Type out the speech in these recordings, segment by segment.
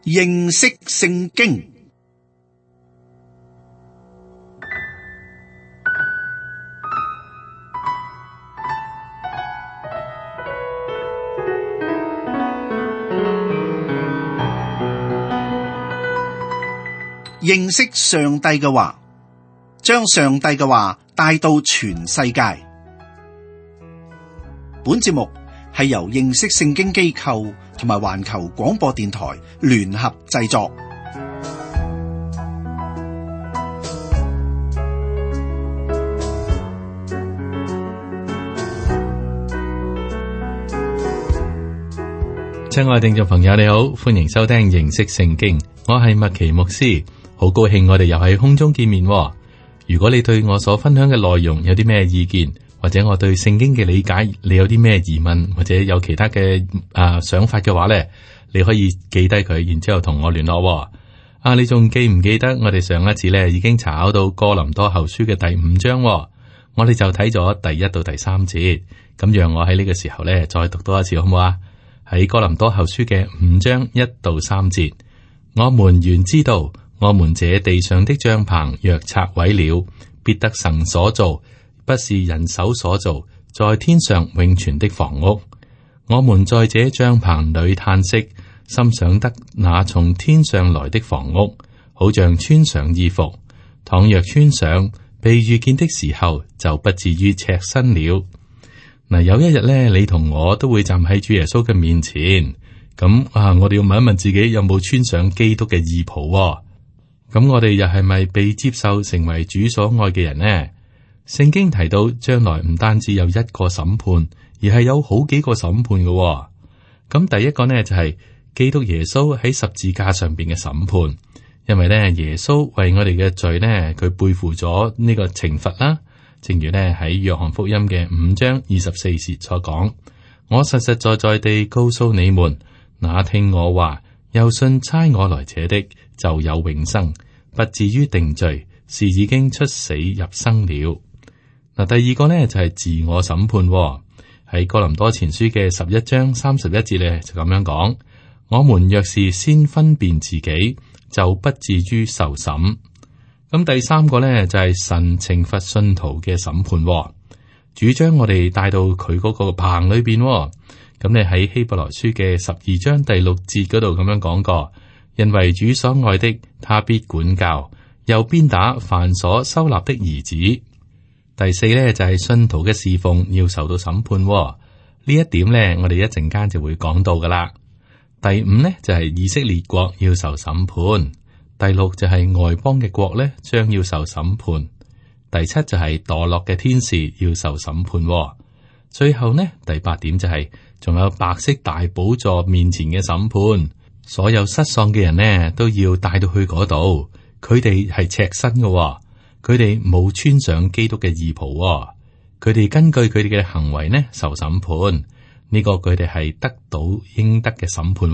認識聖經。認識上帝嘅話，將上帝嘅話帶到全世界。本節目係由認識聖經機構同埋環球廣播電台聯合製作。親愛的聽眾朋友，你好，歡迎收聽認識聖經，我係麥奇牧師，好高興我哋又喺空中見面。如果你對我所分享嘅內容有啲咩意見，或者我對聖經嘅理解，你有啲咩疑問，或者有其他嘅想法嘅話呢，你可以記低佢，然之後同我聯絡。你仲記唔記得我哋上一次呢已經查考到哥林多後書嘅第5章？我哋就睇咗第1到第3節，咁讓我喺呢個時候呢再讀多一次好唔好啊？喺哥林多後書嘅5章1到3節，我們原知道，我們這地上的帳棚若拆毀了，必得神所造，不是人手所造，在天上永存的房屋。我們在這帳棚裏嘆息，心想得那從天上來的房屋，好像穿上衣服。倘若穿上，被遇見的時候，就不至於赤身了。嗱，有一日咧，你同我都會站喺主耶穌嘅面前，咁我哋要問一問自己有冇穿上基督嘅義袍。咁我哋又係咪被接受成為主所愛嘅人呢？聖經提到將來唔單止有一個審判，而係有好幾個審判嘅。咁第一個呢，就係基督耶穌喺十字架上邊嘅審判，因為咧耶穌為我哋嘅罪呢，佢背負咗呢個懲罰啦。正如呢喺約翰福音嘅5章24節所講，我實實在在地告訴你們，那聽我話又信差我來者的，就有永生，不至於定罪，是已經出死入生了。嗱，第二個呢就係自我審判，喺哥林多前書嘅11章31節呢就咁樣講，我們若是先分辨自己，就不至於受審。咁第三個呢，就係神懲罰信徒嘅審判，主將我哋帶到佢嗰個棚裏邊。咁你喺希伯來書嘅12章第6節嗰度咁樣講過，因為主所愛的，他必管教，又鞭打凡所收納的兒子。第四呢，就係信徒嘅侍奉要受到審判，呢一點呢，我哋一陣間就會講到噶啦。第5呢，就係以色列國要受審判。第6就係外邦嘅國咧，將要受審判。第7就係墮落嘅天使要受審判。最後呢，第8點就係仲有白色大寶座面前嘅審判，所有失喪嘅人呢都要帶到去嗰度。佢哋係赤身嘅，佢哋冇穿上基督嘅義袍。佢哋根據佢哋嘅行為呢受審判。呢個佢哋係得到應得嘅審判。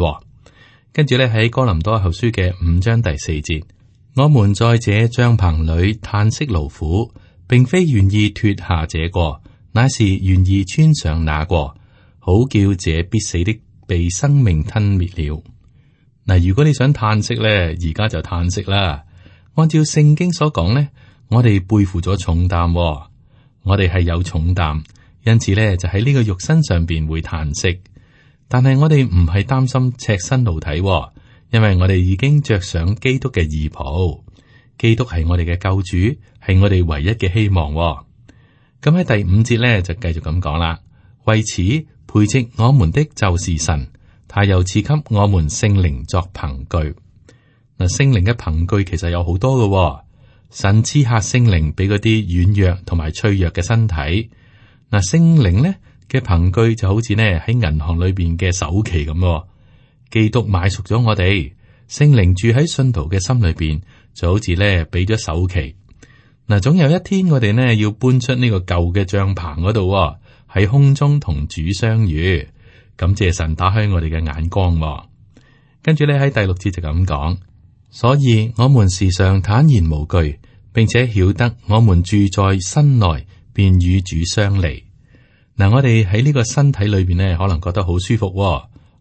跟住咧喺哥林多後書嘅5章第4節，我們在這帳棚裏嘆息勞苦，並非願意脫下這個，乃是願意穿上那個，好叫這必死的被生命吞滅了。嗱，如果你想嘆息咧，而家就嘆息啦。按照聖經所講咧，我哋背負咗重擔，我哋係有重擔，因此咧就喺呢個肉身上邊會嘆息。但係我哋唔係擔心赤身露體，因為我哋已經着上基督嘅義袍。基督係我哋嘅救主，係我哋唯一嘅希望。咁喺第5節咧就繼續咁講啦。為此培植我們的就是神，他又賜給我們聖靈作憑據。嗱，聖靈嘅憑據其實有好多嘅。神賜下聖靈俾嗰啲軟弱同埋脆弱嘅身體。嗱，聖靈咧嘅憑據就好似呢喺銀行裏邊嘅首期咁，基督買贖咗我哋，聖靈住喺信徒嘅心裏邊，就好似呢俾咗首期。嗱，總有一天我哋呢要搬出呢個舊嘅帳棚嗰度，喺空中同主相遇。感謝神打開我哋嘅眼光。跟住呢喺第6節就咁講，所以我們時常坦然無懼，並且曉得我們住在身內，便與主相離。嗱，我哋喺呢個身體裏邊呢，可能覺得好舒服，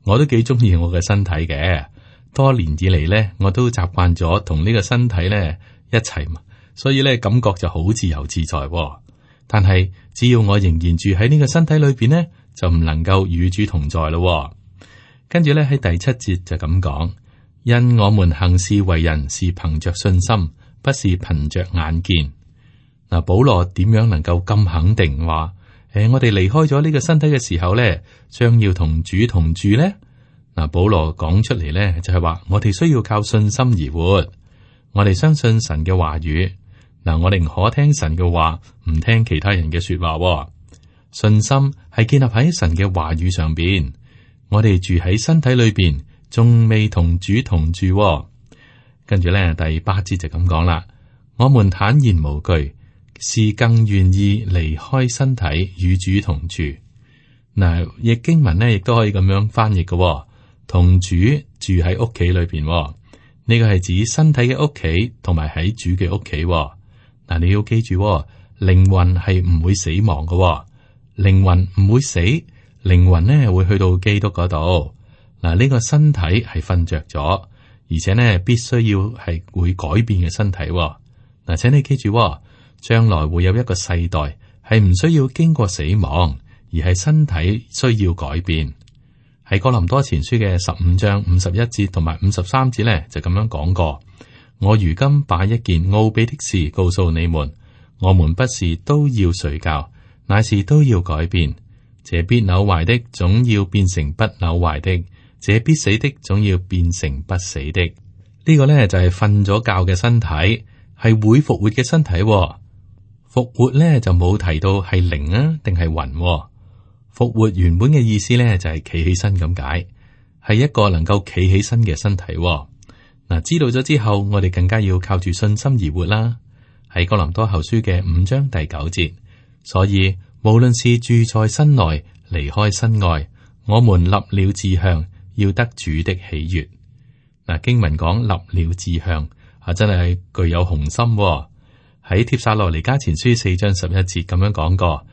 我都幾中意我嘅身體嘅。多年以嚟咧，我都習慣咗同呢個身體咧一齊嘛，所以咧感覺就好自由自在喎。但係只要我仍然住喺呢個身體裏邊呢，就唔能夠與主同在咯喎。跟住咧喺第7節就咁講，因我們行事為人是憑着信心，不是憑着眼見。嗱，保羅點樣能夠咁肯定話，我哋離開咗呢個身體嘅時候咧，將要同主同住呢？嗱，保羅講出嚟咧就係話，我哋需要靠信心而活，我哋相信神嘅話語。嗱，我寧可聽神嘅話，唔聽其他人嘅說話喎。信心係建立喺神嘅話語上邊。我哋住喺身體裏邊，仲未同主同住喎。跟住咧，第8節就咁講啦。我們坦然無懼，是更願意離開身體與主同住。嗱，譯經文呢亦都可以咁樣翻譯嘅喎，同主住喺屋企裏邊喎。呢個係指身體嘅屋企，同埋喺主嘅屋企喎。嗱，你要記住喎，靈魂係唔會死亡嘅喎，靈魂唔會死，靈魂呢會去到基督嗰度。嗱，呢個身體係瞓着咗，而且呢必須要係會改變嘅身體喎。嗱，請你記住喎，將來會有一個世代係唔需要經過死亡，而係身體需要改變。喺哥林多前書嘅15章51節同埋53節呢，就咁樣講過。我如今把一件奧秘的事告訴你們，我們不是都要睡覺，乃是都要改變。這必朽壞的總要變成不朽壞的，這必死的總要變成不死的。呢個呢，就係瞓咗覺嘅身體，係會復活嘅身體。復活呢，就冇提到係靈啊定係魂。復活原本嘅意思呢，就係企起身咁解，係一個能夠企起身嘅身體。嗱，知道咗之後，我哋更加要靠住信心而活啦。喺哥林多後書嘅5章第9節，所以無論是住在身內，離開身外，我們立了志向，要得主的喜悅。嗱，經文講立了志向，真係具有雄心。喺帖撒羅尼迦前書4章11節咁樣講過，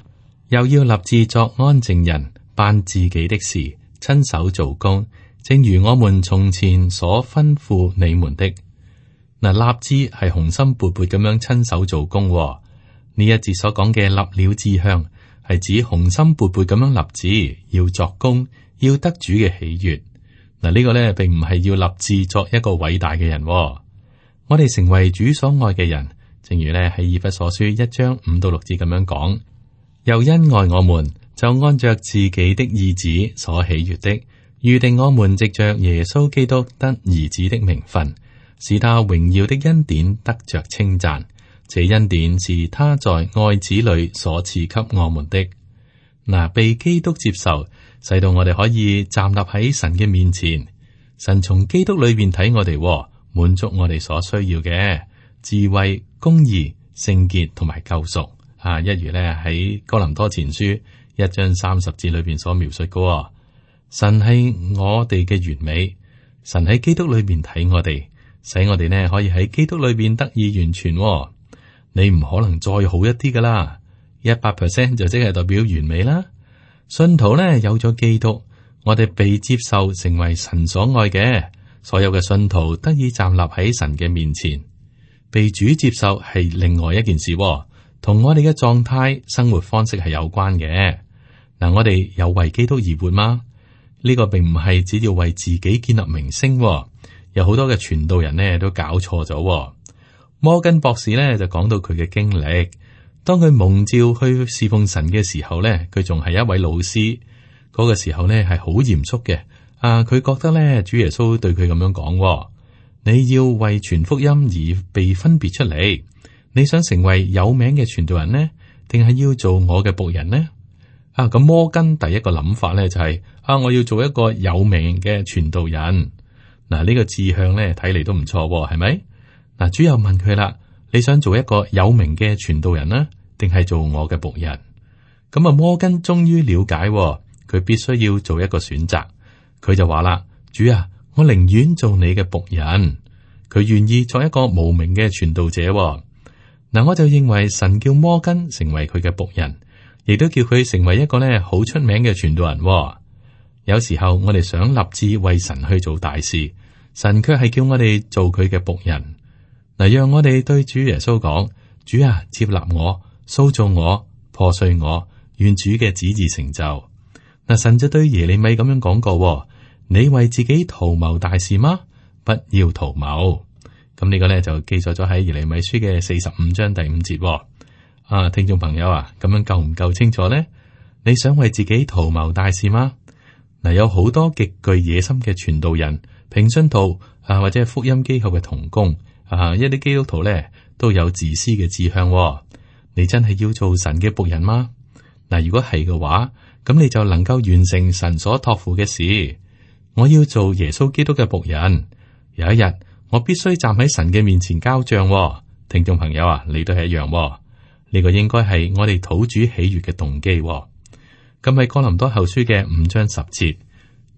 又要立志作安靜人，辦自己的事，親手做工。正如我們從前所吩咐你們的。嗱，立志係雄心勃勃咁樣親手做工。呢一節所講嘅立了志向，係指雄心勃勃咁樣立志，要作工，要得主嘅喜悅。嗱，呢個呢並唔係要立志作一個偉大嘅人。我哋成為主所愛嘅人，正如呢喺以弗所書1章5到6節咁樣講，又因愛我們，就按着自己的意旨所喜悅的，預定我們藉着耶穌基督得兒子的名分，使他榮耀的恩典得着稱讚。這恩典是他在愛子裏所賜給我們的。嗱，被基督接受，使到我哋可以站立喺神嘅面前。神從基督裏邊睇我哋，滿足我哋所需要嘅智慧、公義、聖潔同埋救贖。一如呢喺哥林多前書1章30節裏邊所描述嘅。神係我哋嘅完美，神喺基督裏邊睇我哋，使我哋呢可以喺基督裏邊得以完全。你唔可能再好一啲噶啦，100% 就即係代表完美啦。信徒呢有咗基督，我哋被接受成為神所愛嘅，所有嘅信徒得以站立喺神嘅面前。被主接受係另外一件事，同我哋嘅狀態、生活方式係有關嘅。嗱，我哋有為基督而活嗎？呢個並唔係只要為自己建立名聲，有好多嘅傳道人呢都搞錯咗。摩根博士呢就講到佢嘅經歷，當佢蒙召去侍奉神嘅時候呢，佢仲係一位老師，嗰個時候呢係好嚴肅嘅。佢覺得呢主耶穌對佢咁樣講，你要為傳福音而被分別出嚟，你想成為有名嘅傳道人呢，定係要做我嘅僕人呢？咁摩根第一個諗法呢就係我要做一個有名嘅傳道人。嗱，呢個志向呢睇嚟都唔錯，係咪？嗱，主又問佢啦，你想做一個有名嘅傳道人呢，定係做我嘅僕人？咁摩根終於了解，佢必須要做一個選擇。佢就話啦，主啊，我寧願做你嘅僕人。佢願意作一個無名嘅傳道者。嗱，我就認為神叫摩根成為佢嘅僕人，亦都叫佢成為一個呢好出名嘅傳道人。有時候我哋想立志為神去做大事，神卻係叫我哋做佢嘅僕人。嗱，讓我哋對主耶穌講：主啊，接納我，塑造我，破碎我，願主嘅旨意成就。嗱，神就對耶利米咁樣講過：你為自己圖謀大事嗎？不要圖謀。咁呢個咧就記載咗喺耶利米書嘅45章第5節。啊，聽眾朋友啊，咁樣夠唔夠清楚呢？你想為自己圖謀大事嗎？嗱，有好多極具野心嘅傳道人、平信徒啊，或者係福音機構嘅同工啊，一啲基督徒咧都有自私嘅志向。你真係要做神嘅僕人嗎？嗱，如果係嘅話，咁你就能夠完成神所託付嘅事。我要做耶穌基督嘅僕人。有一日，我必須站喺神嘅面前交賬。聽眾朋友啊，你都係一樣。呢個應該係我哋討主喜悅嘅動機。咁喺哥林多後書嘅5章10節，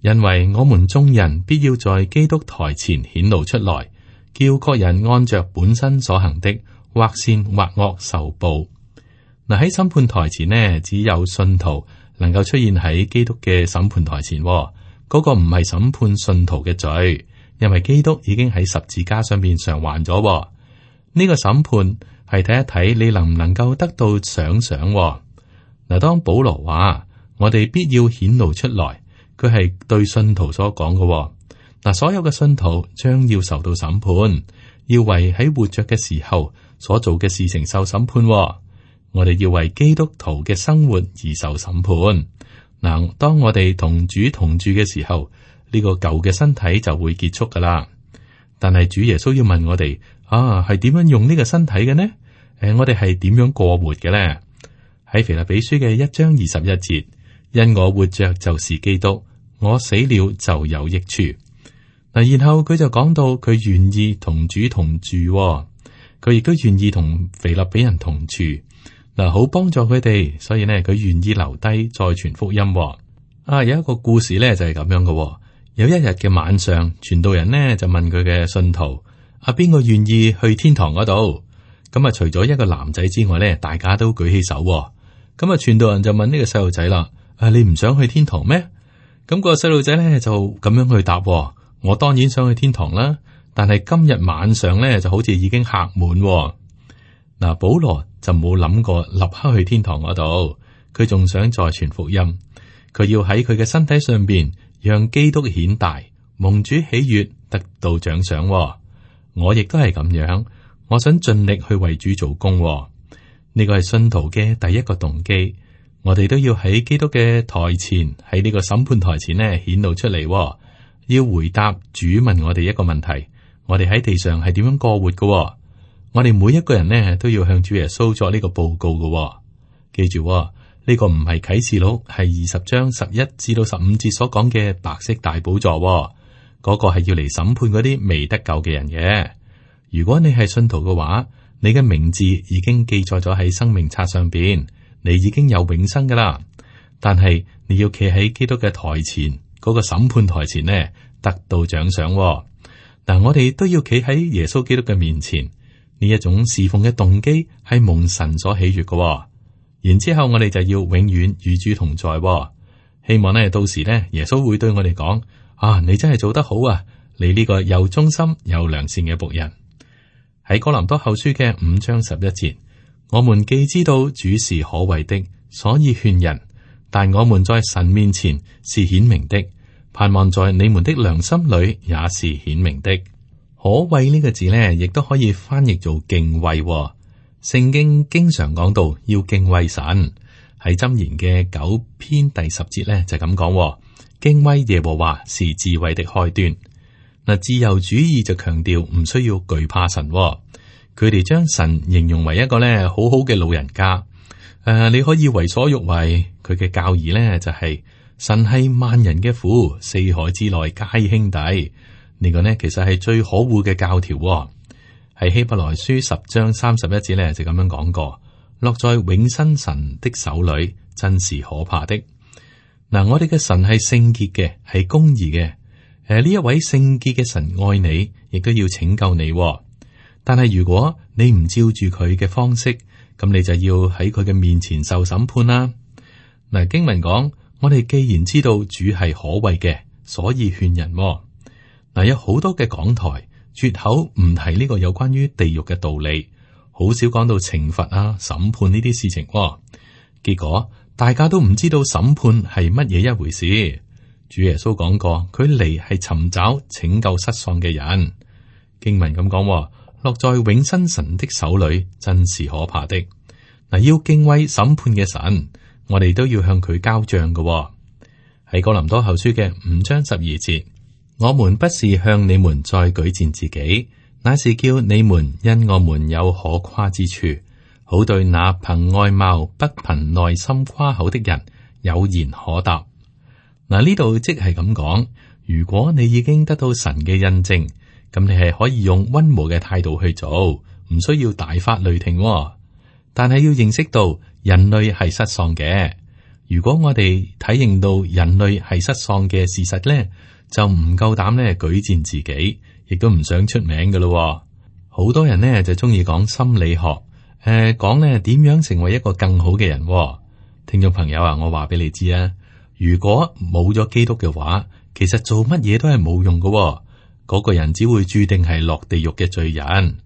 因為我們眾人必要在基督台前顯露出來，叫各人按着本身所行的，或善或惡受報。嗱，喺審判台前呢，只有信徒能夠出現喺基督嘅審判台前。嗰個唔係審判信徒嘅罪，因為基督已經喺十字架上面償還咗。呢個審判係睇一睇你能唔能夠得到賞賞。嗱，當保羅話我哋必要顯露出來，佢係對信徒所講嘅。嗱，所有嘅信徒將要受到審判，要為喺活着嘅時候所做嘅事情受審判。我哋要為基督徒嘅生活而受審判。嗱，當我哋同主同住嘅時候，呢個舊嘅身體就會結束噶啦。但係主耶穌要問我哋啊，係點樣用呢個身體嘅呢？我哋係點樣過活嘅呢？喺腓立比書嘅1章21節。因我活着就是基督，我死了就有益處。嗱，然後佢就講到佢願意同主同住，佢亦都願意同腓立比人同住，嗱，好幫助佢哋，所以呢，佢願意留低再傳福音。啊，有一個故事呢，就係咁樣嘅。有一日嘅晚上，傳道人呢就問佢嘅信徒：啊，邊個願意去天堂嗰度？咁啊，除咗一個男仔之外呢，大家都舉起手。咁啊，傳道人就問呢個細路仔啦。啊！你唔想去天堂咩？咁個細路仔咧就咁樣去答，我當然想去天堂啦。但係今日晚上咧就好似已經客滿。嗱，保羅就冇諗過立刻去天堂嗰度，佢仲想再傳福音。佢要喺佢嘅身體上邊讓基督顯大，蒙主喜悅，得到獎賞。我亦都係咁樣，我想盡力去為主做工。呢個係信徒嘅第一個動機。我哋都要喺基督嘅台前，喺呢個審判台前呢顯露出嚟，要回答主問我哋一個問題：我哋喺地上係點樣過活嘅？我哋每一個人呢都要向主耶穌作呢個報告嘅。記住，呢個唔係啟示錄係20章11至到15節所講嘅白色大寶座，嗰個係要嚟審判嗰啲未得救嘅人嘅。如果你係信徒嘅話，你嘅名字已經記載咗喺生命冊上邊。你已經有永生噶啦，但係你要企喺基督嘅台前，嗰個審判台前呢，得到獎賞。但我哋都要企喺耶穌基督嘅面前，呢一種侍奉嘅動機係蒙神所喜悅嘅。然之後我哋就要永遠與主同在。希望呢，到時呢，耶穌會對我哋講：啊，你真係做得好啊！你呢個又忠心又良善嘅僕人。喺哥林多後書嘅5章11節。我們既知道主是可畏的，所以勸人；但我們在神面前是顯明的，盼望在你們的良心裏也是顯明的。可畏呢個字呢，亦都可以翻譯做敬畏。聖經經常講到要敬畏神，喺箴言嘅9篇第10節呢，就咁講：敬畏耶和華是智慧的開端。嗱，自由主義就強調唔需要懼怕神。佢哋將神形容為一個咧好好嘅老人家，你可以為所欲為。佢嘅教義咧就係神係萬人嘅父，四海之內皆兄弟。呢個呢，其實係最可惡嘅教條。喺希伯來書10章31節咧就咁樣講過：落在永生神的手裏，真是可怕的。嗱，我哋嘅神係聖潔嘅，係公義嘅。呢一位聖潔嘅神愛你，亦都要拯救你。但係如果你唔照住佢嘅方式，咁你就要喺佢嘅面前受審判啦。嗱，經文講，我哋既然知道主係可畏嘅，所以勸人。嗱，嗱，有好多嘅講台絕口唔提呢個有關於地獄嘅道理，好少講到懲罰啊、審判呢啲事情。結果大家都唔知道審判係乜嘢一回事。主耶穌講過，佢嚟係尋找拯救失喪嘅人。經文咁講，落在永生神的手裏，真是可怕的。嗱，要敬畏審判嘅神，我哋都要向佢交賬嘅。喺哥林多後書嘅5章12節，我們不是向你們再舉薦自己，乃是叫你們因我們有可誇之處，好對那憑外貌不憑內心誇口的人有言可答。嗱，呢度即係咁講，如果你已經得到神嘅印證，咁你係可以用溫和嘅態度去做，唔需要大發雷霆。但係要認識到人類係失喪嘅。如果我哋體認到人類係失喪嘅事實咧，就唔夠膽咧舉薦自己，亦都唔想出名㗎咯。好多人呢就中意講心理學，講咧點樣成為一個更好嘅人。聽眾朋友啊，我話俾你知啊，如果冇咗基督嘅話，其實做乜嘢都係冇用㗎。嗰個人只會注定係落地獄嘅罪人。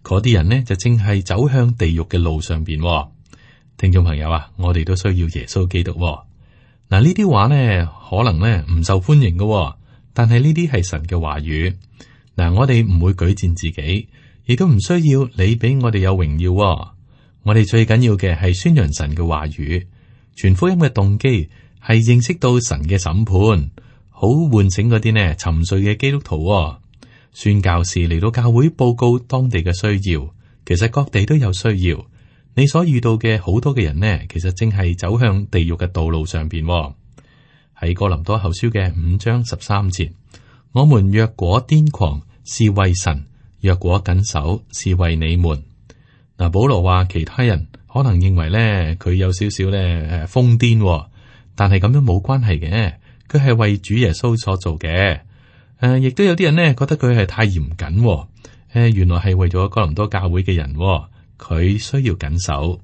嗰啲人呢就正係走向地獄嘅路上邊。聽眾朋友啊，我哋都需要耶穌基督。嗱，呢啲話呢可能呢唔受歡迎嘅，但係呢啲係神嘅話語。嗱，我哋唔會舉薦自己，亦都唔需要你俾我哋有榮耀。我哋最緊要嘅係宣揚神嘅話語，傳福音嘅動機係認識到神嘅審判，好喚醒嗰啲呢沉睡嘅基督徒。宣教士嚟到教會報告當地嘅需要，其實各地都有需要。你所遇到嘅好多嘅人呢，其實正係走向地獄嘅道路上邊。喺哥林多後書嘅5章13節，我們若果癲狂，是為神；若果謹守，是為你們。嗱，保羅話其他人可能認為咧佢有少少咧瘋癲，但係咁樣冇關係嘅，佢係為主耶穌所做嘅。亦都有啲人呢覺得佢係太嚴謹，原來係為咗哥林多教會嘅人，佢需要謹守。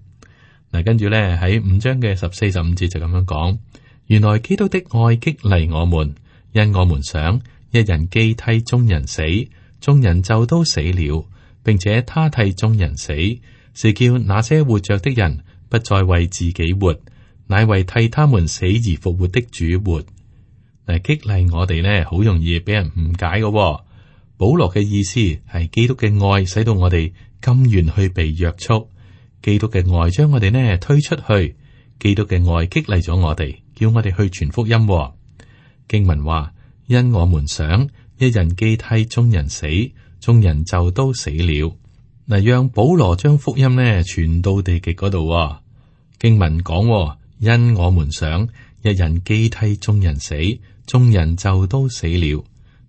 嗱，跟住咧喺5章嘅14、15節就咁樣講，原來基督的愛激勵我們，因我們想一人既替眾人死，眾人就都死了，並且他替眾人死，是叫那些活着的人不再為自己活，乃為替他們死而復活的主活。嗱，激勵我哋呢，好容易俾人誤解嘅。保羅嘅意思係基督嘅愛使到我哋甘願去被約束，基督嘅愛將我哋呢推出去，基督嘅愛激勵咗我哋，叫我哋去傳福音。經文話，因我們想一人既替眾人死，眾人就都死了。嗱，讓保羅將福音呢傳到地極嗰度。經文講，因我們想一人既替眾人死，眾人就都死了。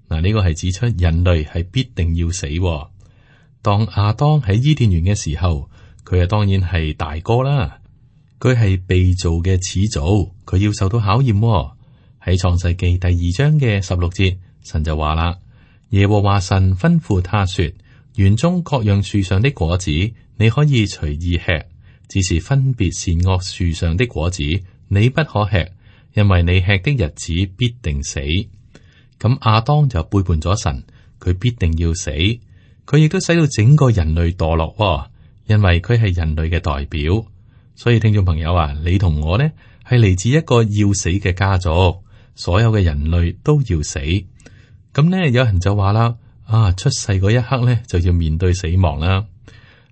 嗱，呢個係指出人類係必定要死。當亞當喺伊甸園嘅時候，佢啊當然係大哥啦，佢係被造嘅始祖，佢要受到考驗。喺創世記第2章嘅16節，神就話啦：耶和華神吩咐他說，園中各樣樹上的果子你可以隨意吃，只是分別善惡樹上的果子你不可吃，因為你吃的日子必定死。咁亞當就背叛咗神，佢必定要死。佢亦都使到整個人類墮落，因為佢係人類嘅代表。所以聽眾朋友啊，你同我呢係嚟自一個要死嘅家族，所有嘅人類都要死。咁呢，有人就話啦，出世嗰一刻呢就要面對死亡啦。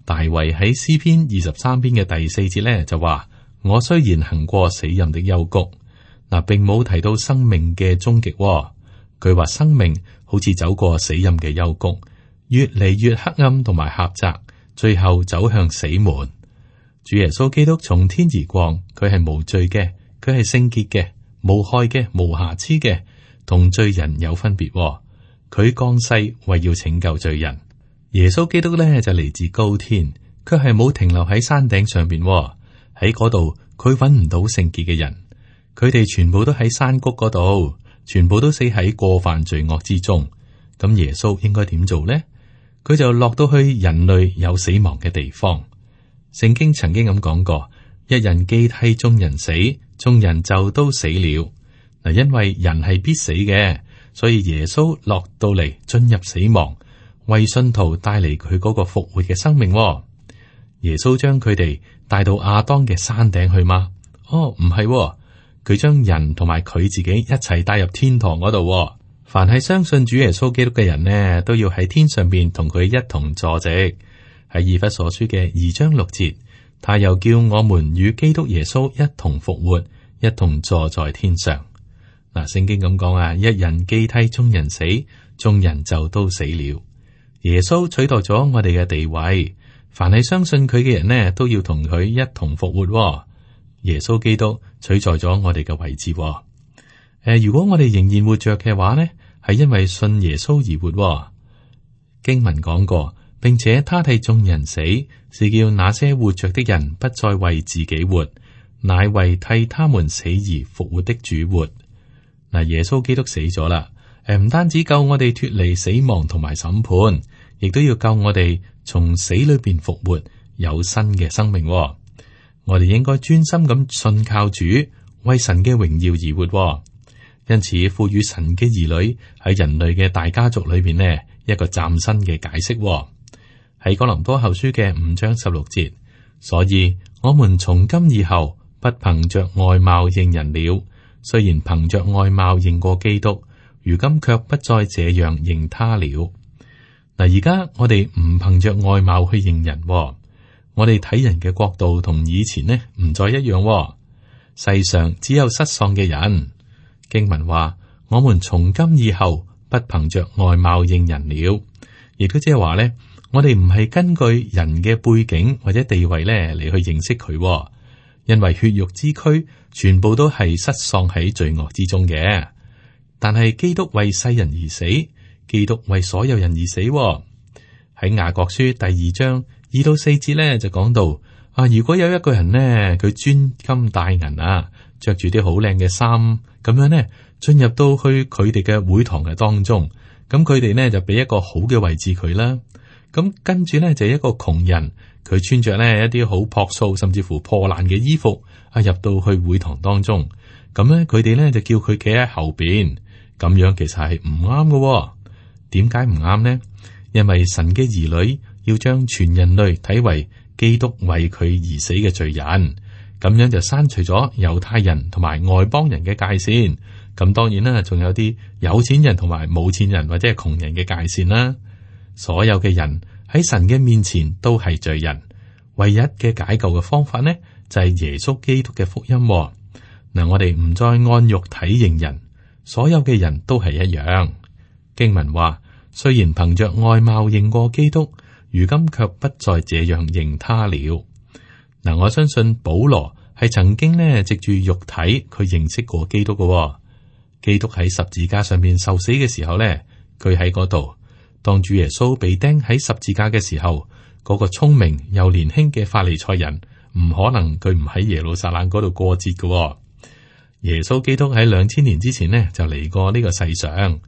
大衛喺詩篇23篇嘅第4節呢就話：我雖然行過死蔭的幽谷，嗱，並冇提到生命嘅終極。佢話生命好似走過死蔭嘅幽谷，越嚟越黑暗同埋狹窄，最後走向死門。主耶穌基督從天而降，佢係無罪嘅，佢係聖潔嘅，無害嘅，無瑕疵嘅，同罪人有分別。佢降世為要拯救罪人。耶穌基督咧就嚟自高天，卻係冇停留喺山頂上邊。喺嗰度佢揾唔到聖潔嘅人，佢哋全部都喺山谷嗰度。全部都死喺過犯罪惡之中，咁耶穌應該點做呢？佢就落到去人類有死亡嘅地方。聖經曾經咁講過：一人既替眾人死，眾人就都死了。嗱，因為人係必死嘅，所以耶穌落到嚟進入死亡，為信徒帶嚟佢嗰個復活嘅生命。耶穌將佢哋帶到亞當嘅山頂去嗎？唔係，佢將人同埋佢自己一齊帶入天堂嗰度。凡係相信主耶穌基督嘅人呢，都要喺天上邊同佢一同坐席。喺以弗所書嘅2章6節，他又叫我們與基督耶穌一同復活，一同坐在天上。嗱，聖經咁講啊，一人既替眾人死，眾人就都死了。耶穌取代咗我哋嘅地位，凡係相信佢嘅人呢，都要同佢一同復活。耶穌基督取代咗我哋嘅位置。如果我哋仍然活着嘅話呢，係因為信耶穌而活。經文講過，並且他替眾人死，是叫那些活着的人不再為自己活，乃為替他們死而復活的主活。嗱，耶穌基督死咗啦，唔單止救我哋脫離死亡同埋審判，亦都要救我哋從死裏邊復活，有新嘅生命。我哋應該專心咁信靠主，為神嘅榮耀而活。因此，賦予神嘅兒女喺人類嘅大家族裏邊呢，一個嶄新嘅解釋。喺哥林多後書嘅5章16節，所以我們從今以後不憑着外貌認人了。雖然憑着外貌認過基督，如今卻不再這樣認他了。嗱，而家我哋唔憑着外貌去認人，我哋睇人嘅角度同以前呢唔再一樣。世上只有失喪嘅人。經文話：我們從今以後不憑着外貌認人了，亦都即係話咧，我哋唔係根據人嘅背景或者地位咧嚟去認識佢。因為血肉之軀全部都係失喪喺罪惡之中嘅，但係基督為世人而死，基督為所有人而死。喺雅各書第2章2到4節咧就講到如果有一個人呢，佢穿金戴銀着住啲好靚嘅衫，咁樣呢進入到去佢哋嘅會堂嘅當中，咁佢哋呢就俾一個好嘅位置佢啦。咁跟住呢就一個窮人。佢穿着呢一啲好樸素甚至乎破爛嘅衣服入到去會堂當中，咁呢佢哋呢就叫佢企喺後邊，咁樣其實係唔啱嘅。點解唔啱呢？因為神嘅兒女要將全人類睇為基督為佢而死嘅罪人，咁樣就刪除咗猶太人同埋外邦人嘅界線。咁當然啦，仲有啲有錢人同埋冇錢人或者係窮人嘅界線啦。所有嘅人喺神嘅面前都係罪人，唯一嘅解救嘅方法呢，就係耶穌基督嘅福音。嗱，我哋唔再按肉體認人，所有嘅人都係一樣。經文話，雖然憑着外貌認過基督，如今卻不再這樣認他了。嗱，我相信保羅係曾經呢藉住肉體佢認識過基督嘅。基督喺十字架上面受死嘅時候呢，佢喺嗰度。當主耶穌被釘喺十字架嘅時候，嗰個聰明又年輕嘅法利賽人唔可能佢唔喺耶路撒冷嗰度過節嘅。耶穌基督喺2000年之前呢就嚟過呢個世上，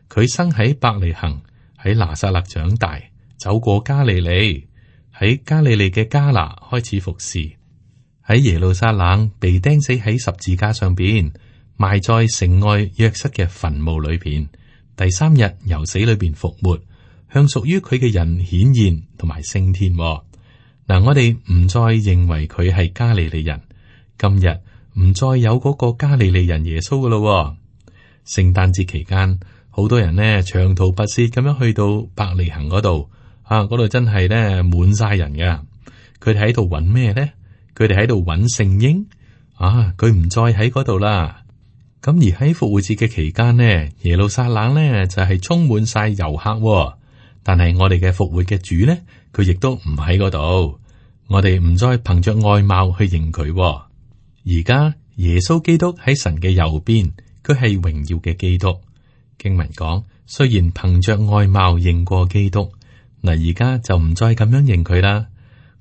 佢生喺伯利恆，喺拿撒勒長大，走過加利利，喺加利利嘅迦拿開始服侍，喺耶路撒冷被釘死喺十字架上邊，埋在城外約瑟嘅墳墓裏邊，第3日由死裏邊復活，向屬於佢嘅人顯現同埋升天。嗱，我哋唔再認為佢係加利利人，今日唔再有嗰個加利利人耶穌噶咯。聖誕節期間，好多人呢長途跋涉咁樣去到伯利恆嗰度，嗰度真係呢滿晒人噶。佢哋喺度揾咩呢？佢哋喺度揾聖嬰。佢唔再喺嗰度啦。咁而喺復活節嘅期間呢，耶路撒冷呢就係充滿晒遊客。但係我哋嘅復活嘅主呢，佢亦都唔喺嗰度。我哋唔再憑着外貌去認佢。而家耶穌基督喺神嘅右邊，佢係榮耀嘅基督。經文講，雖然憑着外貌認過基督，嗱，而家就唔再咁樣認佢啦。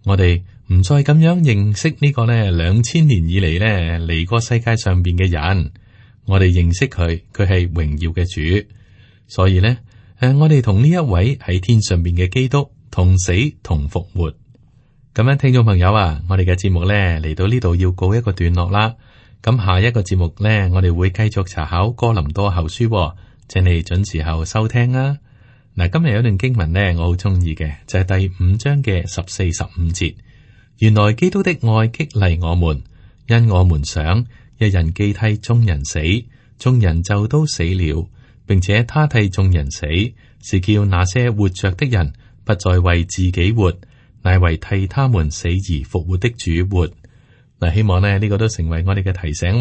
我哋唔再咁樣認識呢個呢2000年以嚟呢嚟過世界上邊嘅人。我哋認識佢，佢係榮耀嘅主。所以呢。我哋同呢一位喺天上邊嘅基督同死同復活。咁樣，聽眾朋友啊，我哋嘅節目呢嚟到呢度要告一個段落啦。咁下一個節目呢，我哋會繼續查考哥林多後書，請你準時候收聽啊！嗱，今日有一段經文呢，我好中意嘅，就係第5章嘅14、15節。原來基督的愛激勵我們，因我們想一人既替眾人死，眾人就都死了，並且他替眾人死，是叫那些活着的人不再為自己活，乃為替他們死而復活的主活。嗱，希望呢個都成為我哋嘅提醒，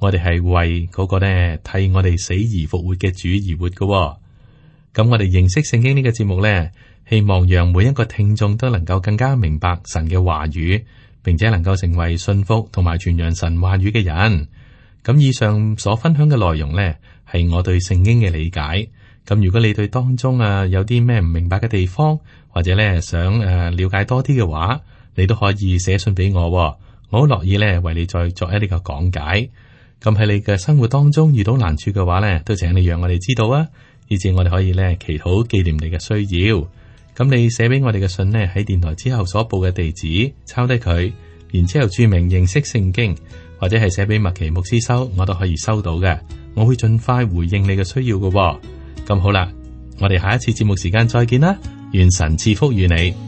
我哋係為嗰個呢替我哋死而復活嘅主而活嘅。咁我哋認識聖經呢個節目呢，希望讓每一個聽眾都能夠更加明白神嘅話語，並且能夠成為信服同埋傳揚神話語嘅人。咁以上所分享嘅內容呢，係我對聖經嘅理解。咁如果你對當中有啲咩唔明白嘅地方，或者呢想了解多啲嘅話，你都可以寫信俾我，我好樂意呢為你再作一啲嘅講解。咁喺你嘅生活當中遇到難處嘅話呢，都請你讓我哋知道啊，以至我哋可以呢祈禱紀念你嘅需要。咁你寫俾我哋嘅信呢，喺電台之後所報嘅地址抄低佢，然之後注明認識聖經，或者係寫俾麥奇牧師收，我都可以收到嘅。我會盡快回應你嘅需要嘅。咁好啦，我哋下一次節目時間再見啦，願神賜福與你。